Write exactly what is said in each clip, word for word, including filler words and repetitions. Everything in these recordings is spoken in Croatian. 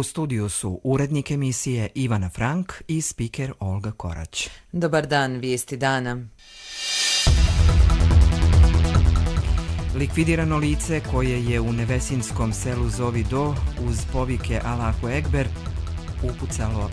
U studiju su urednik emisije Ivana Frank i spiker Olga Korać. Dobar dan, vijesti dana. Likvidirano lice koje je u nevesinskom selu Zovi Do uz povike Allahu Ekber upucalo,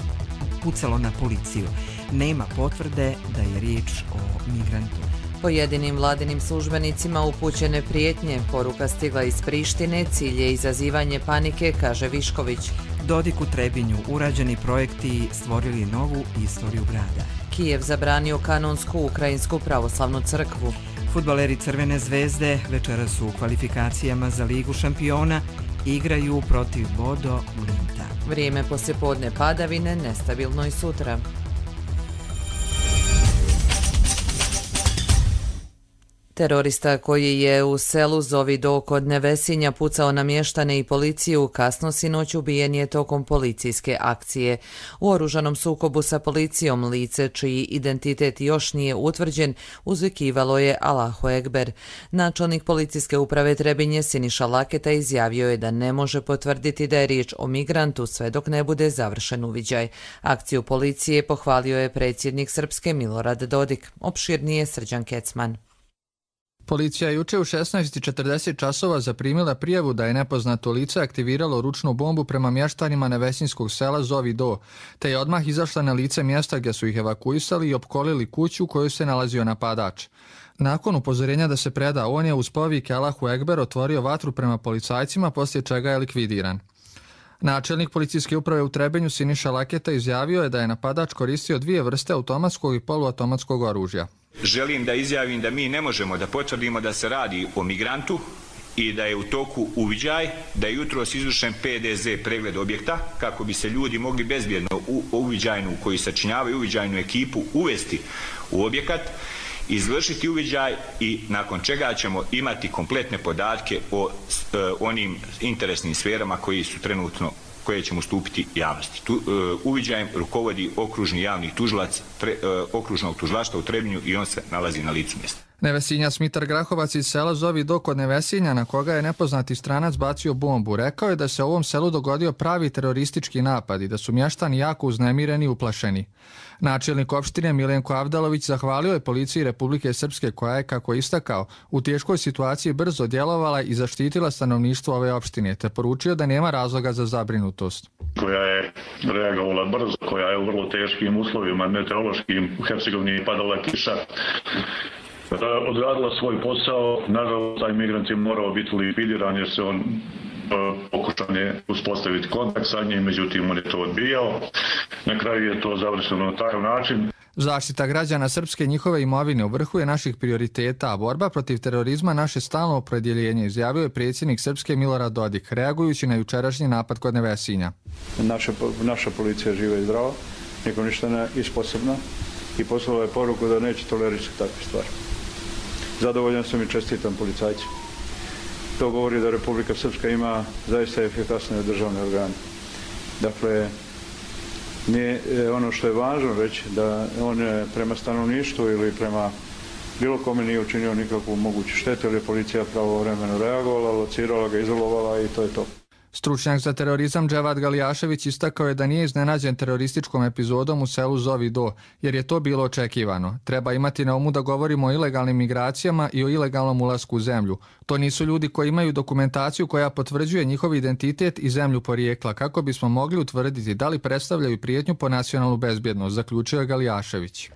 pucalo na policiju. Nema potvrde da je riječ o migrantu. Pojedinim vladinim službenicima upućene prijetnje, poruka stigla iz Prištine, cilj je izazivanje panike, kaže Višković. Dodik u Trebinju, urađeni projekti stvorili novu istoriju grada. Kijev zabranio kanonsku ukrajinsku pravoslavnu crkvu. Fudbaleri Crvene zvezde večeras su u kvalifikacijama za Ligu šampiona, igraju protiv Bodo Glimta. Vrijeme poslijepodne padavine, nestabilno i sutra. Terorista koji je u selu Zovi Do kod Nevesinja pucao na mještane i policiju kasno sinoć ubijen je tokom policijske akcije. U oružanom sukobu sa policijom lice čiji identitet još nije utvrđen uzvikivalo je Allahu Ekber. Načelnik policijske uprave Trebinje Siniša Laketa izjavio je da ne može potvrditi da je riječ o migrantu sve dok ne bude završen uviđaj. Akciju policije pohvalio je predsjednik Srpske Milorad Dodik. Opširnije Srđan Kecman. Policija je juče u šesnaest i četrdeset časova zaprimila prijavu da je nepoznato lice aktiviralo ručnu bombu prema mještanima nevesinskog sela Zovi Do, te je odmah izašla na lice mjesta gdje su ih evakuisali i opkolili kuću u kojoj se nalazio napadač. Nakon upozorenja da se preda, on je uz povike Allahu Ekber otvorio vatru prema policajcima, poslije čega je likvidiran. Načelnik policijske uprave u Trebinju Siniša Laketa izjavio je da je napadač koristio dvije vrste automatskog i poluautomatskog oružja. Želim da izjavim da mi ne možemo da potvrdimo da se radi o migrantu i da je u toku uviđaj, da je jutros izvršen P D Z pregled objekta kako bi se ljudi mogli bezbjedno u uviđajnu koji sačinjavaju uviđajnu ekipu uvesti u objekat, izvršiti uviđaj i nakon čega ćemo imati kompletne podatke o e, onim interesnim sferama koji su trenutno koje ćemo ustupiti javnosti. Tu, uh, uviđajem rukovodi okružni javni tužilac tre, uh, okružnog tužilaštva u Trebinju i on se nalazi na licu mjesta. Nevesinjac Mitar Grahovac iz sela Zovi Do kod Nevesinja, na koga je nepoznati stranac bacio bombu, rekao je da se u ovom selu dogodio pravi teroristički napad i da su mještani jako uznemireni i uplašeni. Načelnik opštine Milenko Avdalović zahvalio je policiji Republike Srpske koja je, kako istakao, u teškoj situaciji brzo djelovala i zaštitila stanovništvo ove opštine, te poručio da nema razloga za zabrinutost. Koja je reagovala brzo, koja je u vrlo teškim uslovima meteorološkim, u Hercegovini padala kiša, odradila svoj posao. Nažalost, taj migrant je morao biti likvidiran jer se on pokušan je uspostaviti kontakt sa njim, međutim on je to odbijao. Na kraju je to završeno na takav način. Zaštita građana Srpske i njihove imovine u vrhu je naših prioriteta, a borba protiv terorizma naše stalno opredjeljenje, izjavio je predsjednik Srpske Milorad Dodik, reagujući na jučerašnji napad kod Nevesinja. Naša, naša policija živa i zdrava, nikom ništa ne isposobna i poslala je poruku da neće tolerisati takve stvari. Zadovoljan sam i čestitam policajci. To govori da Republika Srpska ima zaista efikasne državne organe. Dakle, nije ono što je važno reći da on prema stanovništvu ili prema bilo kome nije učinio nikakvu moguću štetu, jer je policija pravovremeno reagovala, locirala ga, izolovala i to je to. Stručnjak za terorizam Dževad Galijašević istakao je da nije iznenađen terorističkom epizodom u selu Zovi Do, jer je to bilo očekivano. Treba imati na umu da govorimo o ilegalnim migracijama i o ilegalnom ulasku u zemlju. To nisu ljudi koji imaju dokumentaciju koja potvrđuje njihov identitet i zemlju porijekla, kako bismo mogli utvrditi da li predstavljaju prijetnju po nacionalnu bezbjednost, zaključio je Galijašević.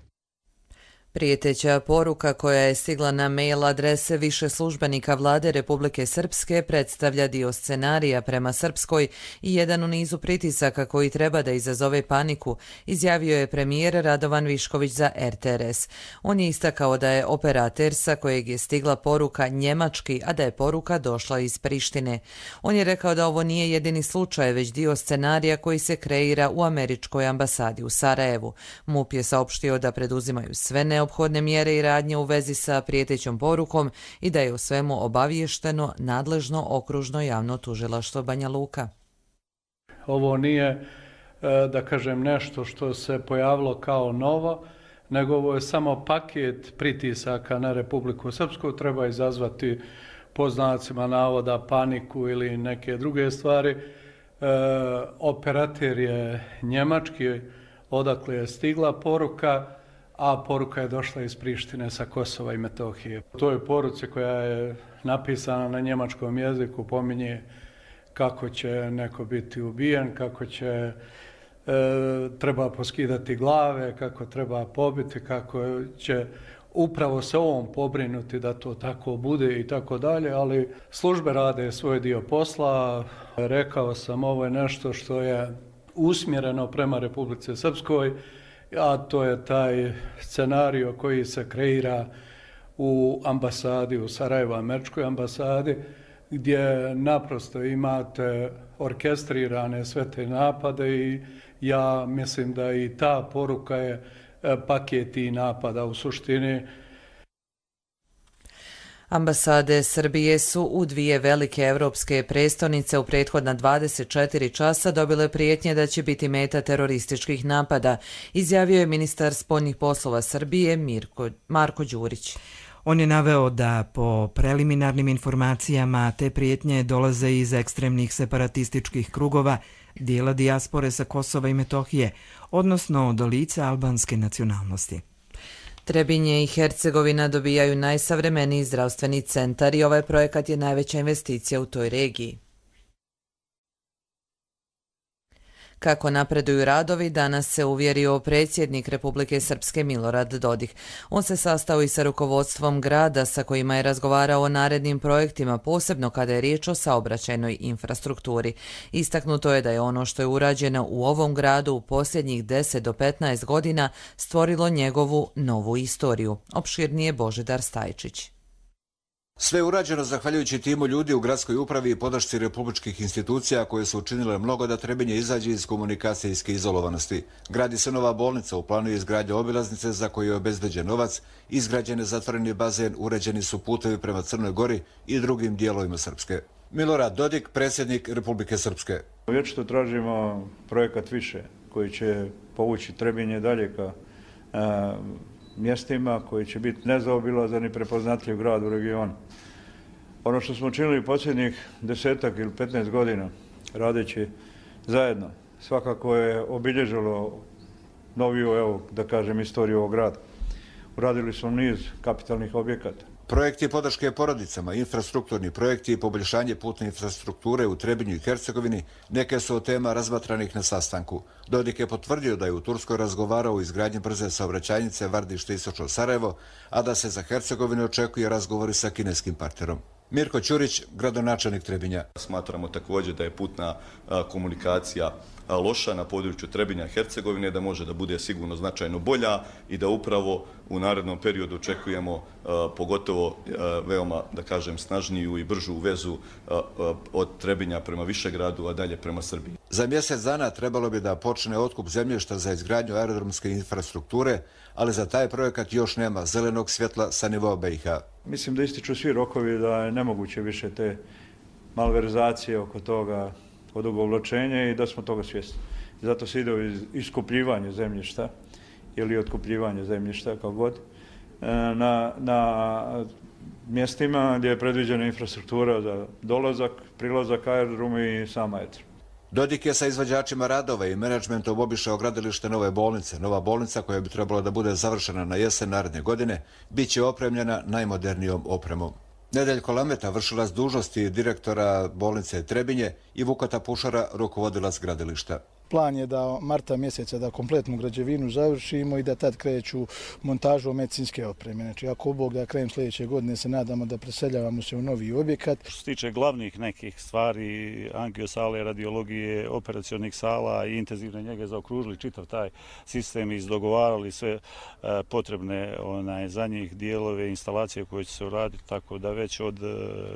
Prijeteća poruka koja je stigla na mail adrese više službenika vlade Republike Srpske predstavlja dio scenarija prema Srpskoj i jedan u nizu pritisaka koji treba da izazove paniku, izjavio je premijer Radovan Višković za R T R S. On je istakao da je operater sa kojeg je stigla poruka njemački, a da je poruka došla iz Prištine. On je rekao da ovo nije jedini slučaj, već dio scenarija koji se kreira u američkoj ambasadi u Sarajevu. M U P je saopštio da preduzimaju sve neophodne neophodne mjere i radnje u vezi sa prijetećom porukom i da je o svemu obaviješteno nadležno okružno javno tužilaštvo Banja Luka. Ovo nije, da kažem, nešto što se pojavilo kao novo, nego ovo je samo paket pritisaka na Republiku Srpsku. Treba izazvati po znacima navoda paniku ili neke druge stvari. operater je njemački, odakle je stigla poruka, a poruka je došla iz Prištine sa Kosova i Metohije. U toj poruci koja je napisana na njemačkom jeziku pominje kako će neko biti ubijen, kako će e, treba poskidati glave, kako treba pobiti, kako će upravo se ovom pobrinuti da to tako bude i tako dalje, ali službe rade svoj dio posla. Rekao sam, ovo je nešto što je usmjereno prema Republici Srpskoj, a to je taj scenario koji se kreira u ambasadi, u Sarajevo, američkoj ambasadi, gdje naprosto imate orkestrirane sve te napade i ja mislim da i ta poruka je paket i napada u suštini. Ambasade Srbije su u dvije velike evropske prestonice u prethodna dvadeset četiri časa dobile prijetnje da će biti meta terorističkih napada, izjavio je ministar spoljnih poslova Srbije Mirko, Marko Đurić. On je naveo da po preliminarnim informacijama te prijetnje dolaze iz ekstremnih separatističkih krugova dijela dijaspore sa Kosova i Metohije, odnosno od lica albanske nacionalnosti. Trebinje i Hercegovina dobijaju najsavremeniji zdravstveni centar i ovaj projekat je najveća investicija u toj regiji. Kako napreduju radovi, danas se uvjerio predsjednik Republike Srpske Milorad Dodik. On se sastao i sa rukovodstvom grada sa kojima je razgovarao o narednim projektima, posebno kada je riječ o saobraćajnoj infrastrukturi. Istaknuto je da je ono što je urađeno u ovom gradu u posljednjih deset do petnaest godina stvorilo njegovu novu istoriju. Opširnije Božidar Stajčić. Sve je urađeno zahvaljujući timu ljudi u gradskoj upravi i podršci republičkih institucija koje su učinile mnogo da Trebinje izađe iz komunikacijske izolovanosti. Gradi se nova bolnica, u planu je izgradnja obilaznice za koju je obezbeđen novac, izgrađen je zatvoreni bazen, uređeni su putevi prema Crnoj Gori i drugim dijelovima Srpske. Milorad Dodik, predsjednik Republike Srpske. Vječito tražimo projekat više koji će povući Trebinje dalje ka a, mjestima koji će biti nezaobilazan i prepoznatljiv grad u regionu. Ono što smo činili posljednjih desetak ili petnaest godina, radeći zajedno, svakako je obilježilo noviju, evo, da kažem, istoriju ovog grada. Uradili smo niz kapitalnih objekata. Projekti podrške porodicama, infrastrukturni projekti i poboljšanje putne infrastrukture u Trebinju i Hercegovini neke su od tema razmatranih na sastanku. Dodik je potvrdio da je u Turskoj razgovarao o izgradnji brze saobraćajnice Vardište-Istočno Sarajevo, a da se za Hercegovinu očekuje razgovori sa kineskim partnerom. Mirko Ćurić, gradonačelnik Trebinja. Smatramo također da je putna komunikacija loša na području Trebinja i Hercegovine, da može da bude sigurno značajno bolja i da upravo u narednom periodu očekujemo pogotovo veoma, da kažem, snažniju i bržu vezu od Trebinja prema Višegradu, a dalje prema Srbiji. Za mjesec dana trebalo bi da počne otkup zemljišta za izgradnju aerodromske infrastrukture, ali za taj projekat još nema zelenog svjetla sa nivoa B i H. Mislim da ističu svi rokovi da je nemoguće više te malverzacije oko toga odugovlačenje i da smo toga svjesni. Zato se ide u iskupljivanje zemljišta ili otkupljivanje zemljišta, kao god, na, na mjestima gdje je predviđena infrastruktura za dolazak, prilazak aerodromu i sam aerodrom. Dodik je sa izvođačima radova i menadžmentom obišao gradilište nove bolnice. Nova bolnica, koja bi trebala da bude završena na jesen naredne godine, bit će opremljena najmodernijom opremom. Nedeljko Lameta, vršilac dužnosti direktora bolnice Trebinje, i Vukota Pušara, rukovodilac gradilišta. Plan je da marta mjeseca da kompletnu građevinu završimo i da tad kreću montažu medicinske opreme. Znači, ako Bog da krajem sljedeće godine se nadamo da preseljavamo se u novi objekat. Što se tiče glavnih nekih stvari, angiosale, radiologije, operacionih sala i intenzivne njege, zaokružili čitav taj sistem i izdogovarali sve potrebne onaj, za njih dijelove, instalacije koje će se uraditi, tako da već od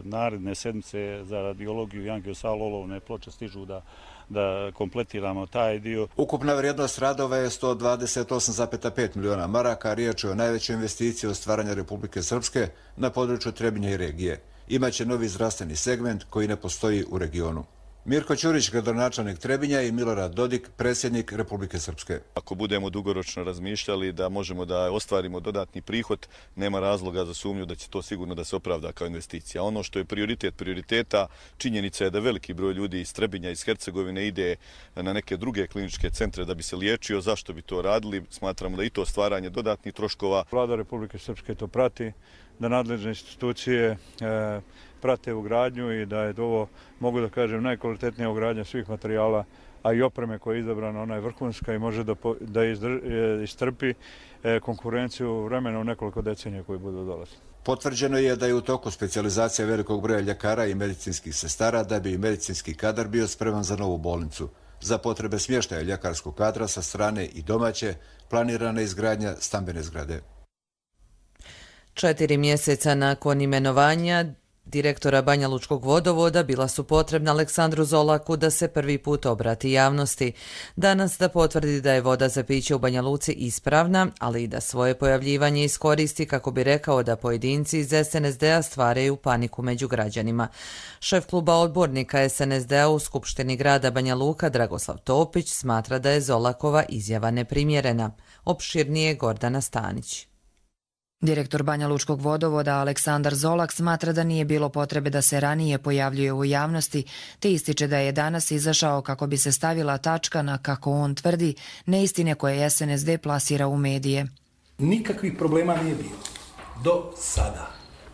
naredne sedmice za radiologiju i angiosalu olovne ploče stižu da da kompletiramo taj dio. Ukupna vrijednost radova je sto dvadeset osam zarez pet miliona maraka, riječ je o najvećoj investiciji od stvaranja Republike Srpske na području Trebinja i regije. Imaće novi zdravstveni segment koji ne postoji u regionu. Mirko Ćurić, gradonačelnik Trebinja, i Milorad Dodik, predsjednik Republike Srpske. Ako budemo dugoročno razmišljali da možemo da ostvarimo dodatni prihod, nema razloga za sumnju da će to sigurno da se opravda kao investicija. Ono što je prioritet prioriteta, činjenica je da veliki broj ljudi iz Trebinja, iz Hercegovine ide na neke druge kliničke centre da bi se liječio. Zašto bi to radili? Smatramo da i to stvaranje dodatnih troškova. Vlada Republike Srpske to prati, da nadležne institucije e, prate ugradnju i da je ovo, mogu da kažem, najkvalitetnija ugradnja svih materijala, a i opreme koja je izabrana, ona je vrhunska i može da, da izdr, istrpi e, konkurenciju vremena u nekoliko decenija koji budu dolazili. Potvrđeno je da je u toku specijalizacija velikog broja ljekara i medicinskih sestara da bi medicinski kadar bio spreman za novu bolnicu. Za potrebe smještaja ljekarskog kadra sa strane i domaće planirana izgradnja stambene zgrade. Četiri mjeseca nakon imenovanja direktora Banja Lučkog vodovoda bila su potrebna Aleksandru Zolaku da se prvi put obrati javnosti. Danas da potvrdi da je voda za piće u Banja Luci ispravna, ali i da svoje pojavljivanje iskoristi kako bi rekao da pojedinci iz es en es de a stvaraju paniku među građanima. Šef kluba odbornika es en es de a u Skupštini grada Banja Luka Dragoslav Topić smatra da je Zolakova izjava neprimjerena. Opširnije Gordana Stanić. Direktor Banja Lučkog vodovoda Aleksandar Zolak smatra da nije bilo potrebe da se ranije pojavljuje u javnosti, te ističe da je danas izašao kako bi se stavila tačka na, kako on tvrdi, neistine koje es en es de plasira u medije. Nikakvih problema nije bilo. Do sada.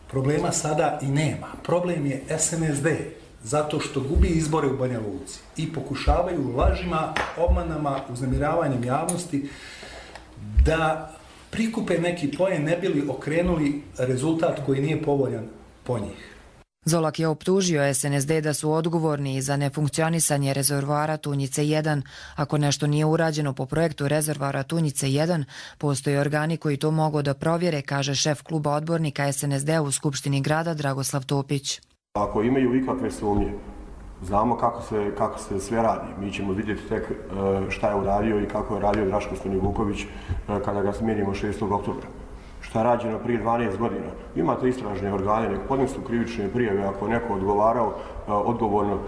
Problema sada i nema. Problem je es en es de zato što gubi izbore u Banja Luci i pokušavaju lažima, obmanama, uznemiravanjem javnosti da prikupe neki poen, ne bili okrenuli rezultat koji nije povoljan po njih. Zolak je optužio es en es de da su odgovorni za nefunkcionisanje rezervoara Tunjice jedan. Ako nešto nije urađeno po projektu rezervoara Tunjice jedan, postoje organi koji to mogu da provjere, kaže šef kluba odbornika es en es de u Skupštini grada Dragoslav Topić. Ako imaju ikakve sumnje, znamo kako se, kako se sve radi. Mi ćemo vidjeti tek šta je uradio i kako je radio Draško Stanivuković kada ga smijenimo šestog oktobra. Šta je rađeno prije dvanaest godina. Imate istražne organe, nek podnesu krivične prijave. Ako neko odgovarao, odgovorno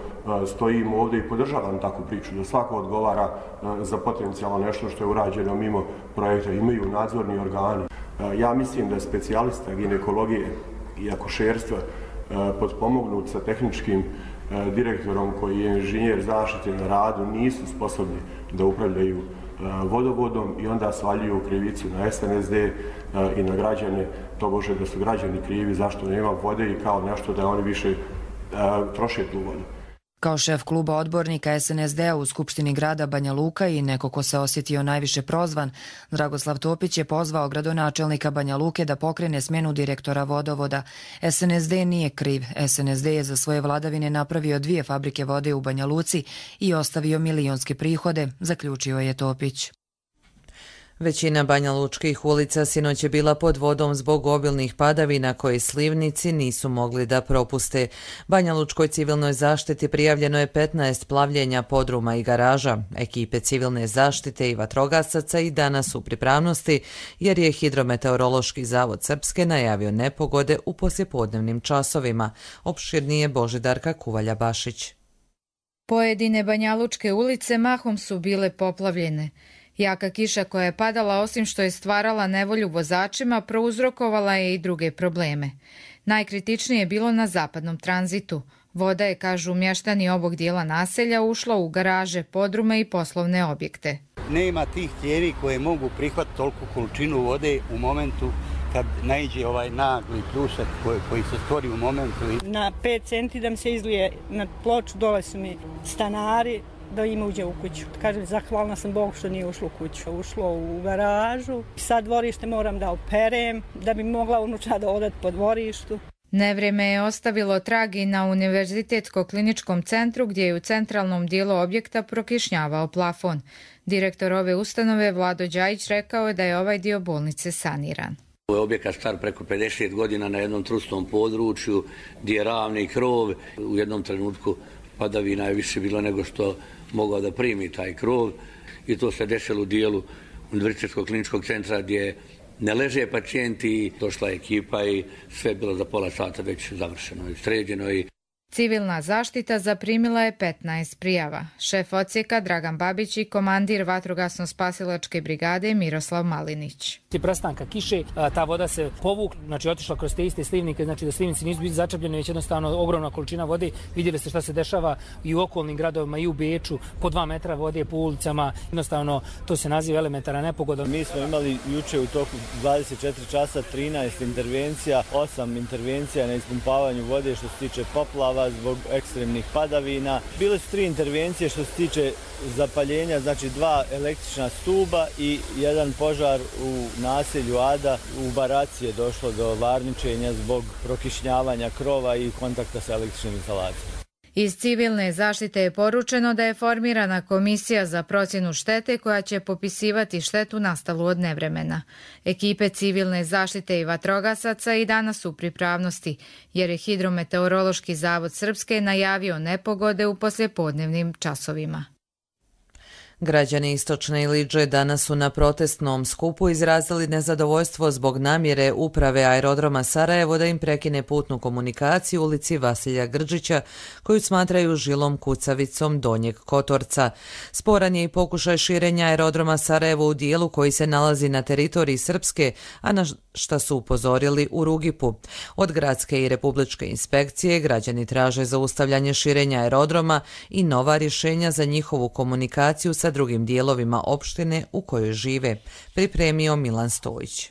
stojim ovdje i podržavam takvu priču, da svako odgovara za potencijalno nešto što je urađeno mimo projekta. Imaju nadzorni organi. Ja mislim da specijalista ginekologije i akušerstva potpomognut sa tehničkim direktorom koji je inženjer zaštite na radu nisu sposobni da upravljaju vodovodom i onda svaljuju krivicu na es en es de i na građane, tobože da su građani krivi zašto nema vode i kao nešto da oni više troše tu vodu. Kao šef kluba odbornika es en es de a u Skupštini grada Banja Luka i neko ko se osjetio najviše prozvan, Dragoslav Topić je pozvao gradonačelnika Banja Luke da pokrene smjenu direktora vodovoda. es en es de nije kriv. es en es de je za svoje vladavine napravio dvije fabrike vode u Banja Luci i ostavio milionske prihode, zaključio je Topić. Većina banjalučkih ulica sinoć je bila pod vodom zbog obilnih padavina koje slivnici nisu mogli da propuste. Banjalučkoj civilnoj zaštiti prijavljeno je petnaest plavljenja podruma i garaža. Ekipe civilne zaštite i vatrogasaca i danas u pripravnosti jer je Hidrometeorološki zavod Srpske najavio nepogode u poslijepodnevnim časovima. Opširnije Božidarka Kuvalja-Bašić. Pojedine banjalučke ulice mahom su bile poplavljene. Jaka kiša koja je padala, osim što je stvarala nevolju vozačima, prouzrokovala je i druge probleme. Najkritičnije je bilo na zapadnom tranzitu. Voda je, kažu mještani ovog dijela naselja, ušla u garaže, podrume i poslovne objekte. Nema tih cijevi koje mogu prihvatiti toliku količinu vode u momentu kad naiđe ovaj nagli pljusak koji, koji se stvori u momentu. Na pet centi da mi se izlije na ploču, dole su mi stanari, da ima uđe u kuću. Kažem, zahvalna sam Bogu što nije ušlo u kuću. Ušlo u garažu. Sad dvorište moram da operem, da bi mogla unučada odati po dvorištu. Nevreme je ostavilo trag i na Univerzitetsko-kliničkom centru gdje je u centralnom dijelu objekta prokišnjavao plafon. Direktor ove ustanove Vlado Đajić rekao je da je ovaj dio bolnice saniran. Ovo je objekat star preko pedeset godina na jednom trusnom području gdje je ravni krov. U jednom trenutku padavina je više bilo nego što mogao da primi taj krov i to se desilo u dijelu Univerzitetskog kliničkog centra gdje ne leže pacijenti. Došla je ekipa i sve je bilo za pola sata već završeno i sređeno. I Civilna zaštita zaprimila je petnaest prijava. Šef odsjeka Dragan Babić i komandir vatrogasno-spasilačke brigade Miroslav Malinić. Prestanka kiše, ta voda se povukla, znači otišla kroz te iste slivnike, znači da slivnici nisu bili začepljeni, već jednostavno ogromna količina vode. Vidjeli ste šta se dešava i u okolnim gradovima i u Beču, po dva metra vode po ulicama, jednostavno to se naziva elementarna nepogoda. Mi smo imali juče u toku dvadeset četiri časa trinaest intervencija, osam intervencija na ispumpavanju vode što se tiče poplava zbog ekstremnih padavina. Bile su tri intervencije što se tiče zapaljenja, znači dva električna stuba i jedan požar u naselju Ada. U baraci je došlo do varničenja zbog prokišnjavanja krova i kontakta sa električnim instalacijama. Iz civilne zaštite je poručeno da je formirana komisija za procjenu štete koja će popisivati štetu nastalu od nevremena. Ekipe civilne zaštite i vatrogasaca i danas su u pripravnosti, jer je Hidrometeorološki zavod Srpske najavio nepogode u poslijepodnevnim časovima. Građani Istočne Iliđe danas su na protestnom skupu izrazili nezadovoljstvo zbog namjere uprave aerodroma Sarajevo da im prekine putnu komunikaciju u ulici Vasilja Grđića, koju smatraju žilom kucavicom Donjeg Kotorca. Sporan je i pokušaj širenja aerodroma Sarajevo u dijelu koji se nalazi na teritoriji Srpske, a na šta su upozorili u Rugipu. Od gradske i republičke inspekcije građani traže zaustavljanje širenja aerodroma i nova rješenja za njihovu komunikaciju sa drugim dijelovima opštine u kojoj žive, pripremio Milan Stojić.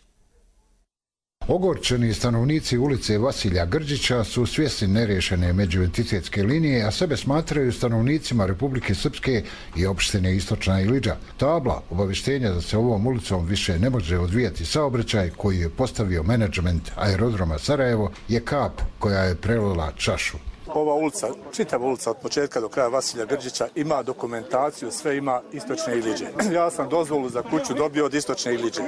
Ogorčeni stanovnici ulice Vasilja Grđića su svjesni nerješene međuentitetske linije, a sebe smatraju stanovnicima Republike Srpske i opštine Istočna Iliđa. Tabla obavještenja da se ovom ulicom više ne može odvijati saobraćaj koji je postavio menadžment aerodroma Sarajevo je kap koja je prelila čašu. Ova ulica, čitava ulica od početka do kraja Vasilja Grđića ima dokumentaciju, sve ima Istočne Iliđe. Ja sam dozvolu za kuću dobio od Istočne Iliđe.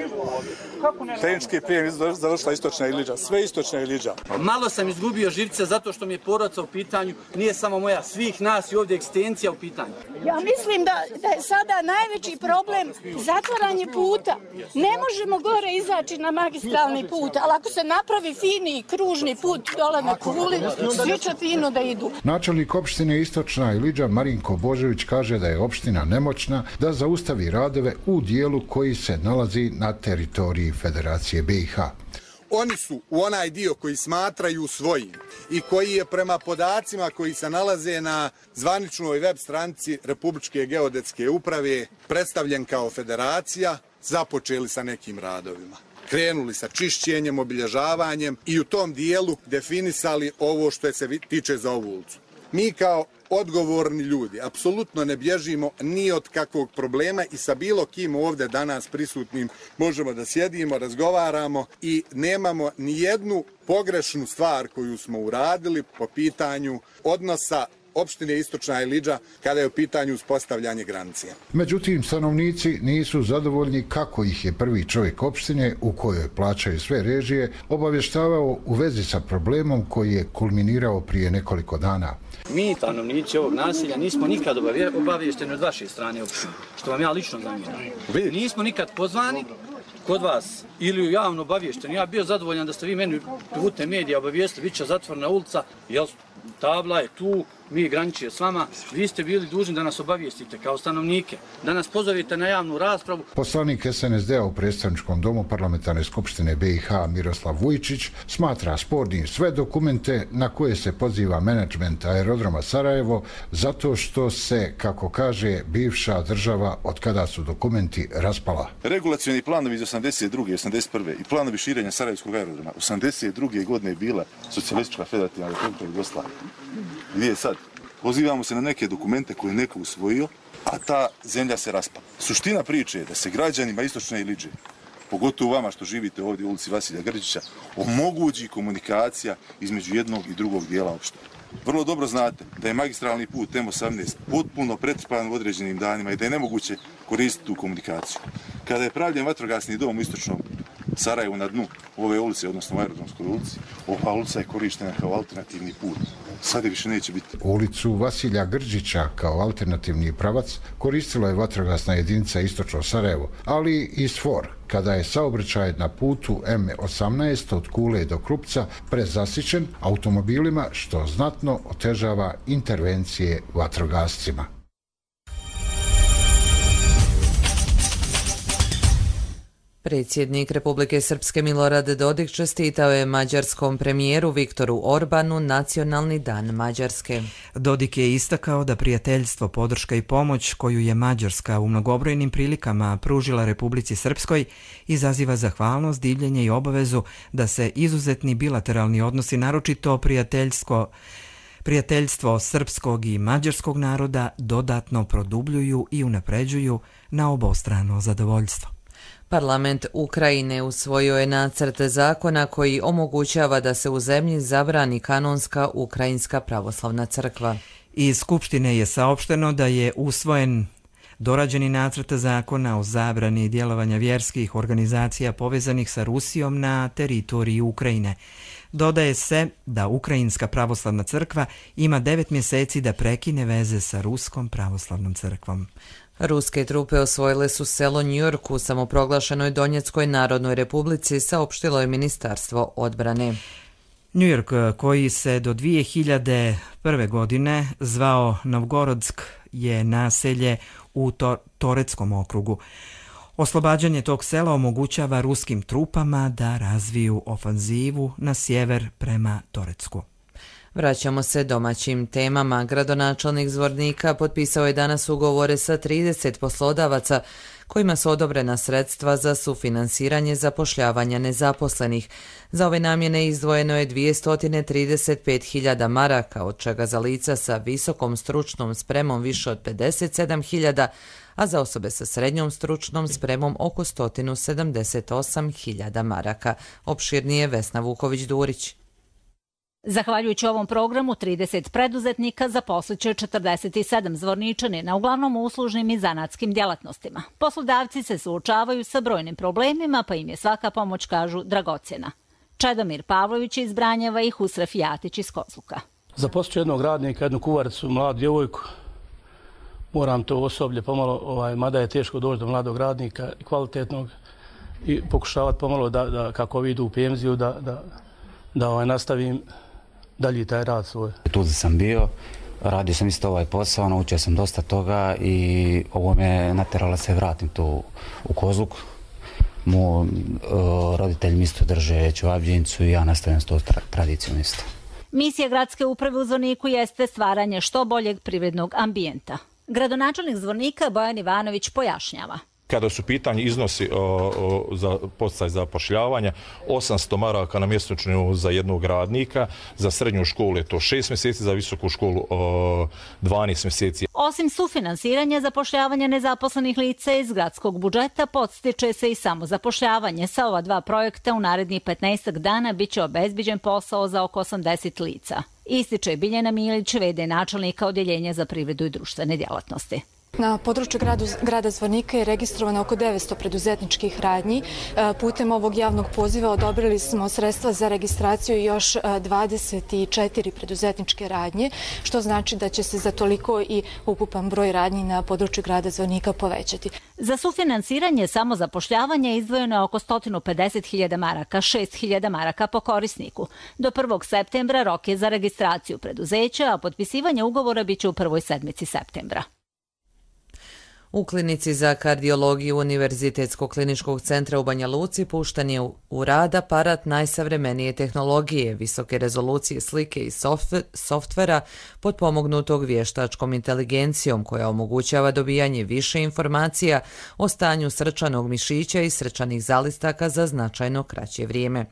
Tehnički prijem završila Istočna Iliđa, sve Istočna Iliđa. Malo sam izgubio živce zato što mi je porodica u pitanju, nije samo moja, svih nas i ovdje egzistencija u pitanju. Ja mislim da, da je sada najveći problem zatvaranje puta. Ne možemo gore izaći na magistralni put, ali ako se napravi fini kružni put dole na Kuli, svi će fino da idu. Načelnik opštine Istočna Iliđa Marinko Božević kaže da je opština nemoćna da zaustavi radove u dijelu koji se nalazi na teritoriji Federacije B i H. Oni su u onaj dio koji smatraju svojim i koji je prema podacima koji se nalaze na zvaničnoj web stranici Republičke geodetske uprave predstavljen kao federacija, započeli sa nekim radovima. Krenuli sa čišćenjem, obilježavanjem i u tom dijelu definisali ovo što se tiče za ovu ulicu. Mi kao odgovorni ljudi apsolutno ne bježimo ni od kakvog problema i sa bilo kim ovdje danas prisutnim možemo da sjedimo, razgovaramo i nemamo ni jednu pogrešnu stvar koju smo uradili po pitanju odnosa opštine Istočna Iliđa kada je u pitanju uspostavljanje granice. Međutim, stanovnici nisu zadovoljni kako ih je prvi čovjek opštine, u kojoj plaćaju sve režije, obavještavao u vezi sa problemom koji je kulminirao prije nekoliko dana. Mi, stanovnici ovog naselja, nismo nikad obavješteni od vaše strane opštine, što vam ja lično zamjeram. Nismo nikad pozvani kod vas ili javno obavješteni. Ja bio zadovoljan da ste vi meni putem medija obavijestili, bit će zatvorena ulica, jel, tabla je tu, mi graničije s vama, vi ste bili dužni da nas obavijestite kao stanovnike, da nas pozovete na javnu raspravu. Poslanik S N S D-a u predstavničkom domu parlamentarne skupštine B i H Miroslav Vujčić smatra spornim sve dokumente na koje se poziva menadžment aerodroma Sarajevo zato što se, kako kaže, bivša država od kada su dokumenti raspala. Regulacioni planovi iz osamdeset druge. osamdeset prve. i planovi širenja Sarajevskog aerodroma osamdeset druge. godine je bila socijalistička federativna republika Jugoslavija. Gdje je sad? Pozivamo se na neke dokumente koje je neko usvojio, a ta zemlja se raspala. Suština priče je da se građanima Istočne Iliđe, pogotovo vama što živite ovdje u ulici Vasilja Grđića, omogući komunikacija između jednog i drugog dijela opštine. Vrlo dobro znate da je magistralni put M osamnaest potpuno pretrpan u određenim danima i da je nemoguće koristiti tu komunikaciju. Kada je pravljen vatrogasni dom u Istočnom Sarajevu na dnu ove ulice, odnosno u aerodromskoj ulici, ova ulica je korištena kao alternativni put Sad je više neće biti. Ulicu Vasilja Grđića kao alternativni pravac koristila je vatrogasna jedinica Istočno Sarajevo, ali i SFOR, kada je saobraćaj na putu M osamnaest od Kule do Krupca prezasićen automobilima, što znatno otežava intervencije vatrogascima. Predsjednik Republike Srpske Milorad Dodik čestitao je mađarskom premijeru Viktoru Orbanu Nacionalni dan Mađarske. Dodik je istakao da prijateljstvo, podrška i pomoć koju je Mađarska u mnogobrojnim prilikama pružila Republici Srpskoj izaziva zahvalnost, divljenje i obavezu da se izuzetni bilateralni odnosi, naročito prijateljsko Prijateljstvo srpskog i mađarskog naroda dodatno produbljuju i unapređuju na obostrano zadovoljstvo. Parlament Ukrajine usvojio je nacrt zakona koji omogućava da se u zemlji zabrani kanonska Ukrajinska pravoslavna crkva. Iz Skupštine je saopšteno da je usvojen dorađeni nacrt zakona o zabrani djelovanja vjerskih organizacija povezanih sa Rusijom na teritoriji Ukrajine. Dodaje se da Ukrajinska pravoslavna crkva ima devet mjeseci da prekine veze sa Ruskom pravoslavnom crkvom. Ruske trupe osvojile su selo Njujork u samoproglašenoj Donjeckoj narodnoj republici, saopštilo je Ministarstvo odbrane. Njujork, koji se do dvije hiljade prve. godine zvao Novgorodsk, je naselje u to- Toreckom okrugu. Oslobađanje tog sela omogućava ruskim trupama da razviju ofanzivu na sjever prema Torecku. Vraćamo se domaćim temama. Gradonačelnik Zvornika potpisao je danas ugovore sa trideset poslodavaca kojima su odobrena sredstva za sufinansiranje zapošljavanja nezaposlenih. Za ove namjene izdvojeno je dvjesto trideset pet hiljada maraka, od čega za lica sa visokom stručnom spremom više od pedeset sedam hiljada, a za osobe sa srednjom stručnom spremom oko sto sedamdeset osam hiljada maraka. Opširnije Vesna Vuković-Durić. Zahvaljujući ovom programu, trideset preduzetnika zaposliće četrdeset sedam zvorničanina, uglavnom u uslužnim i zanatskim djelatnostima. Poslodavci se suočavaju sa brojnim problemima, pa im je svaka pomoć, kažu, dragocjena. Čedomir Pavlović iz Branjeva i Husref Jatić iz Kozluka. Zaposliću jednog radnika, jednu kuvaricu, mladu djevojku. Moram to osoblje pomalo, ovaj, mada je teško doći do mladog radnika, kvalitetnog, i pokušavati pomalo da, da kako idu u penziju, da, da, da ovaj, nastavim dalje taj rad svoj. Tu sam bio, radio sam isto ovaj posao, naučio sam dosta toga i ovo me natjeralo se vratim tu u Kozluk. Mo, uh, roditelji mi isto drže čevabdjenicu i ja nastavljam s to tra tradicijom isto. Misija gradske uprave u Zvorniku jeste stvaranje što boljeg privrednog ambijenta. Gradonačelnik Zvornika Bojan Ivanović pojašnjava. Kada su pitanje iznosi o, o, za podsticaj zapošljavanja, osamsto maraka na mjesečnu za jednog radnika, za srednju školu je to šest mjeseci, za visoku školu o, dvanaest mjeseci. Osim sufinansiranja zapošljavanja nezaposlenih lica iz gradskog budžeta, podstiče se i samozapošljavanje. Sa ova dva projekta u narednih petnaest dana biće obezbiđen posao za oko osamdeset lica. Ističe Biljana Milić, ve de načelnika Odjeljenja za privredu i društvene djelatnosti. Na području gradu, grada Zvornika je registrovano oko devetsto preduzetničkih radnji. Putem ovog javnog poziva odobrili smo sredstva za registraciju još dvadeset četiri preduzetničke radnje, što znači da će se za toliko i ukupan broj radnji na području grada Zvornika povećati. Za sufinansiranje samozapošljavanja izdvojeno je oko sto pedeset hiljada maraka, šest hiljada maraka po korisniku. Do prvog septembra rok je za registraciju preduzeća, a potpisivanje ugovora biće u prvoj sedmici septembra. U klinici za kardiologiju Univerzitetskog kliničkog centra u Banja Luci pušten je u rad aparat najsavremenije tehnologije, visoke rezolucije slike i softvera potpomognutog vještačkom inteligencijom koja omogućava dobijanje više informacija o stanju srčanog mišića i srčanih zalistaka za značajno kraće vrijeme.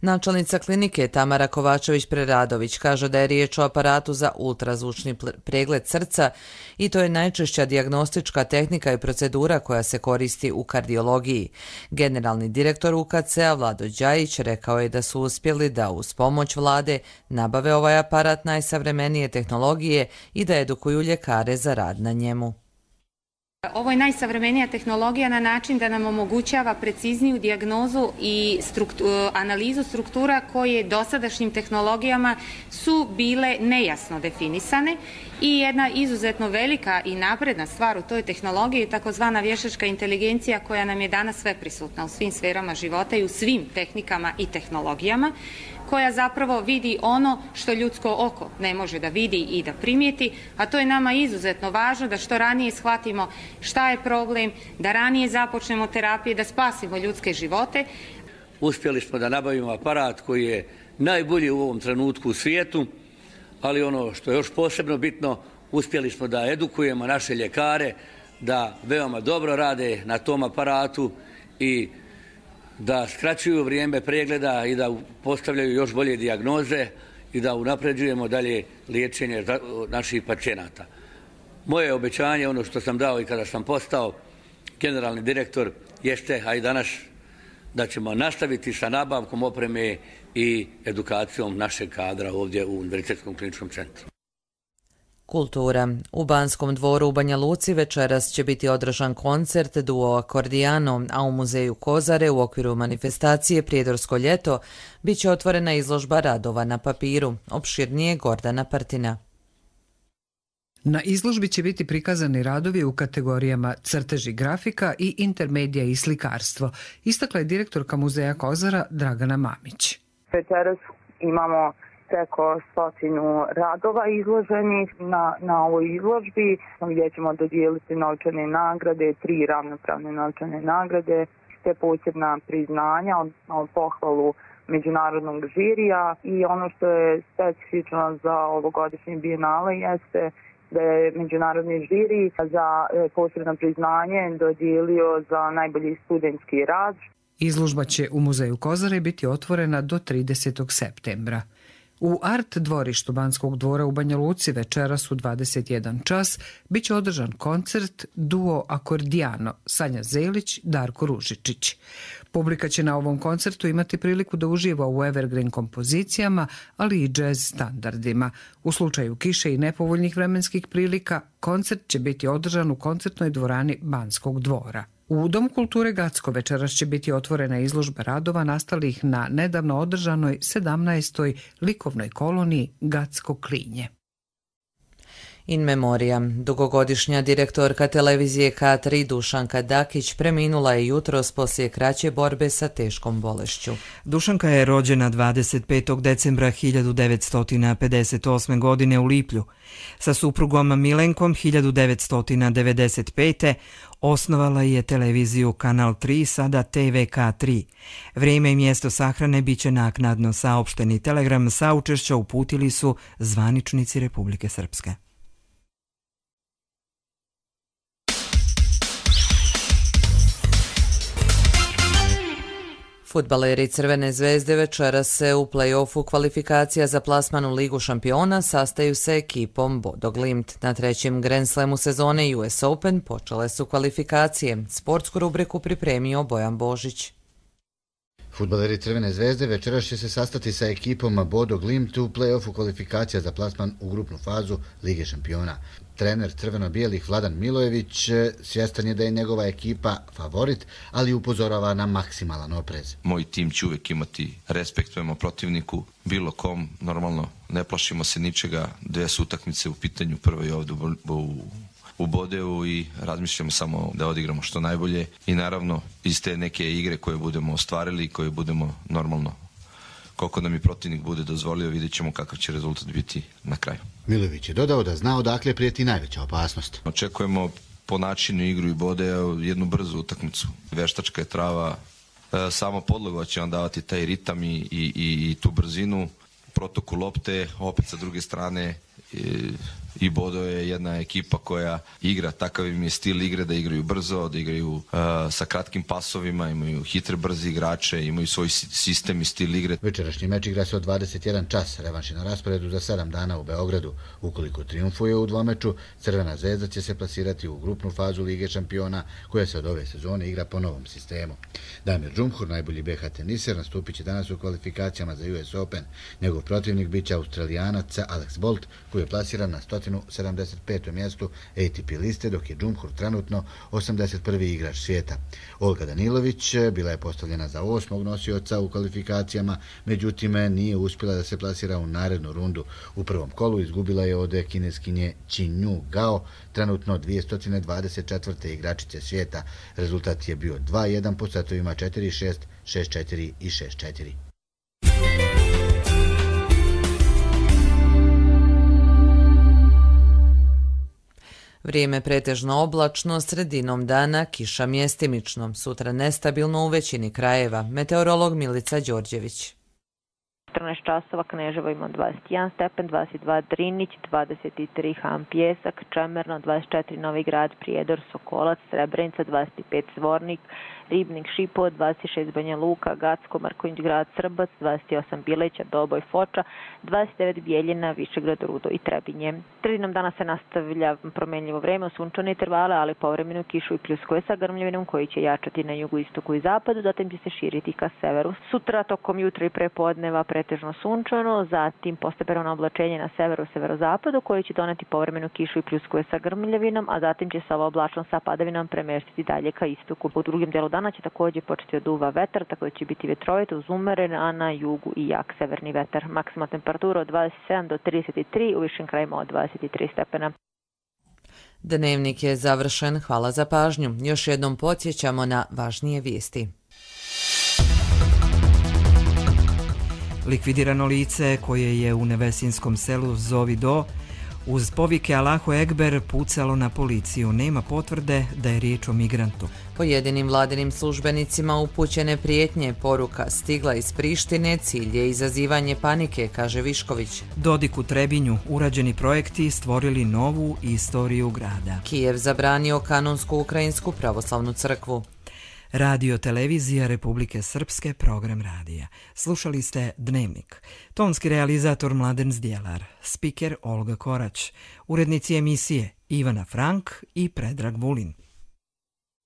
Načelnica klinike Tamara Kovačević-Preradović kaže da je riječ o aparatu za ultrazvučni pregled srca i to je najčešća dijagnostička tehnika i procedura koja se koristi u kardiologiji. Generalni direktor U K C-a Vlado Đajić rekao je da su uspjeli da uz pomoć vlade nabave ovaj aparat najsavremenije tehnologije i da edukuju ljekare za rad na njemu. Ovo je najsavremenija tehnologija na način da nam omogućava precizniju dijagnozu i struktu, analizu struktura koje dosadašnjim tehnologijama su bile nejasno definisane i jedna izuzetno velika i napredna stvar u toj tehnologiji je takozvana vještačka inteligencija koja nam je danas sve prisutna u svim sferama života i u svim tehnikama i tehnologijama, koja zapravo vidi ono što ljudsko oko ne može da vidi i da primijeti, a to je nama izuzetno važno da što ranije shvatimo šta je problem, da ranije započnemo terapije, da spasimo ljudske živote. Uspjeli smo da nabavimo aparat koji je najbolji u ovom trenutku u svijetu, ali ono što je još posebno bitno, uspjeli smo da edukujemo naše ljekare, da veoma dobro rade na tom aparatu i da skraćuju vrijeme pregleda i da postavljaju još bolje dijagnoze i da unapređujemo dalje liječenje naših pacijenata. Moje obećanje, ono što sam dao i kada sam postao generalni direktor, jeste, a i danas, da ćemo nastaviti sa nabavkom opreme i edukacijom našeg kadra ovdje u Univerzitetskom kliničkom centru. Kultura. U Banskom dvoru u Banja Luci večeras će biti održan koncert duo Akordijano, a u muzeju Kozare u okviru manifestacije Prijedorsko ljeto bit će otvorena izložba radova na papiru. Opširnije Gordana Partina. Na izložbi će biti prikazani radovi u kategorijama crteži grafika i intermedija i slikarstvo, istakla je direktorka muzeja Kozara Dragana Mamić. Večeras imamo preko stotinu radova izloženih na, na ovoj izložbi, gdje ćemo dodijeliti novčane nagrade, tri ravnopravne novčane nagrade, te posebna priznanja, odnosno pohvalu međunarodnog žirija, i ono što je specifično za ovogodišnje bijenale jeste da je međunarodni žiri za posebno priznanje dodijelio za najbolji studentski rad. Izložba će u muzeju Kozare biti otvorena do tridesetog septembra. U Art dvorištu Banskog dvora u Banja Luci večeras u dvadeset jedan čas bit će održan koncert duo Akordijano Sanja Zelić, Darko Ružičić. Publika će na ovom koncertu imati priliku da uživa u evergreen kompozicijama, ali i džez standardima. U slučaju kiše i nepovoljnih vremenskih prilika, koncert će biti održan u koncertnoj dvorani Banskog dvora. U Domu kulture Gacko večeras će biti otvorena izložba radova nastalih na nedavno održanoj sedamnaestoj likovnoj koloniji Gacko Klinje. In memoriam. Dugogodišnja direktorka televizije K tri Dušanka Dakić preminula je jutros poslije kraće borbe sa teškom bolešću. Dušanka je rođena dvadeset petog decembra hiljadu devetsto pedeset osme. godine u Liplju. Sa suprugom Milenkom hiljadu devetsto devedeset pete. osnovala je televiziju Kanal tri, sada T V K tri. Vrijeme i mjesto sahrane bit će naknadno saopšteni. Telegram saučešća uputili su zvaničnici Republike Srpske. Fudbaleri Crvene zvezde večeras se u play-offu kvalifikacija za plasman u Ligu šampiona sastaju sa ekipom Bodo Glimt. Na trećem Grand Slamu sezone U S Open počele su kvalifikacije. Sportsku rubriku pripremio Bojan Božić. Fudbaleri Crvene zvezde večeras će se sastati sa ekipom Bodo Glimt u play-offu kvalifikacija za plasman u grupnu fazu Lige šampiona. Trener crveno-bijelih Vladan Milojević svjestan je da je njegova ekipa favorit, ali upozorava na maksimalan oprez. Moj tim će uvijek imati respekt prema protivniku, bilo kom, normalno ne plašimo se ničega, dve su utakmice u pitanju, prvo je ovdje u u Bodeu i razmišljamo samo da odigramo što najbolje i naravno iz te neke igre koje budemo ostvarili i koje budemo normalno, koliko nam i protivnik bude dozvolio, vidjet ćemo kakav će rezultat biti na kraju. Milojević je dodao da zna odakle prijeti najveća opasnost. Očekujemo po načinu igru i Bodeu jednu brzu utakmicu. Veštačka je trava, samo podloga će vam davati taj ritam i, i, i tu brzinu, protoku lopte, opet sa druge strane i, i Bodo je jedna ekipa koja igra, takav im je stil igre da igraju brzo, da igraju uh, sa kratkim pasovima, imaju hitre brzi igrače, imaju svoj sistem i stil igre. Večerašnji meč igra se od dvadeset jedan čas, revanš je na rasporedu za sedam dana u Beogradu. Ukoliko triumfuje u dvomeču, Crvena zvezda će se plasirati u grupnu fazu Lige šampiona koja se od ove sezone igra po novom sistemu. Damir Džumhur, najbolji B H teniser, nastupit će danas u kvalifikacijama za U S Open. Njegov protivnik biće Australijanac Alex Bolt, koji je plasiran na sto stotinu sedamdeset petom mjestu A T P liste, dok je Džumhur trenutno osamdeset prvi igrač svijeta. Olga Danilović bila je postavljena za osmog nosioca u kvalifikacijama, međutim nije uspjela da se plasira u narednu rundu. U prvom kolu izgubila je od kineskinje Qinyu Gao, trenutno dvjesto dvadeset četvrte igračice svijeta. Rezultat je bio dva jedan po setovima četiri šest, šest četiri i šest četiri. Vrijeme pretežno oblačno, sredinom dana kiša mjestimično, sutra nestabilno u većini krajeva. Meteorolog Milica Đorđević. četrnaest časova Kneževo ima dvadeset jedan stepen, dvadeset dva Drinić, dvadeset tri Han Pjesak, Čemerno, dvadeset četiri Novi Grad, Prijedor, Sokolac, Srebrenica, dvadeset pet Zvornik, Ribnik, Šipovo, dvadeset šest Banja Luka, Gacko, Marković Grad, Srbac, dvadeset osam Bileća, Doboj, Foča, dvadeset devet Bijeljina, Višegrad, Rudo i Trebinje. Sredinom dana se nastavlja promenljivo vreme u sunčane intervale, ali povremeno kišu i pljuskove sa grmljavinom koji će jačati na jugu, istoku i zapadu, zatim će se širiti ka severu. Sutra tokom jutra i prepodneva pretežno sunčano, zatim postepeno oblačenje na severu, severozapadu koji će doneti povremenu kišu i pljuskove sa grmljavinom, a zatim će se ova oblačnost sa padavinom premestiti dalje ka istoku. U drugim delu dana će također početi da duva vetar, tako da će biti vetrovito uz umeren, a na jugu i jak severni vetar. Maksimalna temperatura od dvadeset sedam do trideset tri, u višim krajima od dvadeset tri stepena. Dnevnik je završen, hvala za pažnju. Još jednom podsjećamo na važnije vijesti. Likvidirano lice koje je u nevesinskom selu Zovi Do uz povike Allahu Ekber pucalo na policiju. Nema potvrde da je riječ o migrantu. Pojedinim vladinim službenicima upućene prijetnje, poruka stigla iz Prištine, cilj je izazivanje panike, kaže Višković. Dodik u Trebinju, urađeni projekti stvorili novu istoriju grada. Kijev zabranio kanonsku ukrajinsku pravoslavnu crkvu. Radio televizija Republike Srpske, program radija. Slušali ste Dnevnik. Tonski realizator Mladen Zdjelar, spiker Olga Korać, urednici emisije Ivana Frank i Predrag Vulin.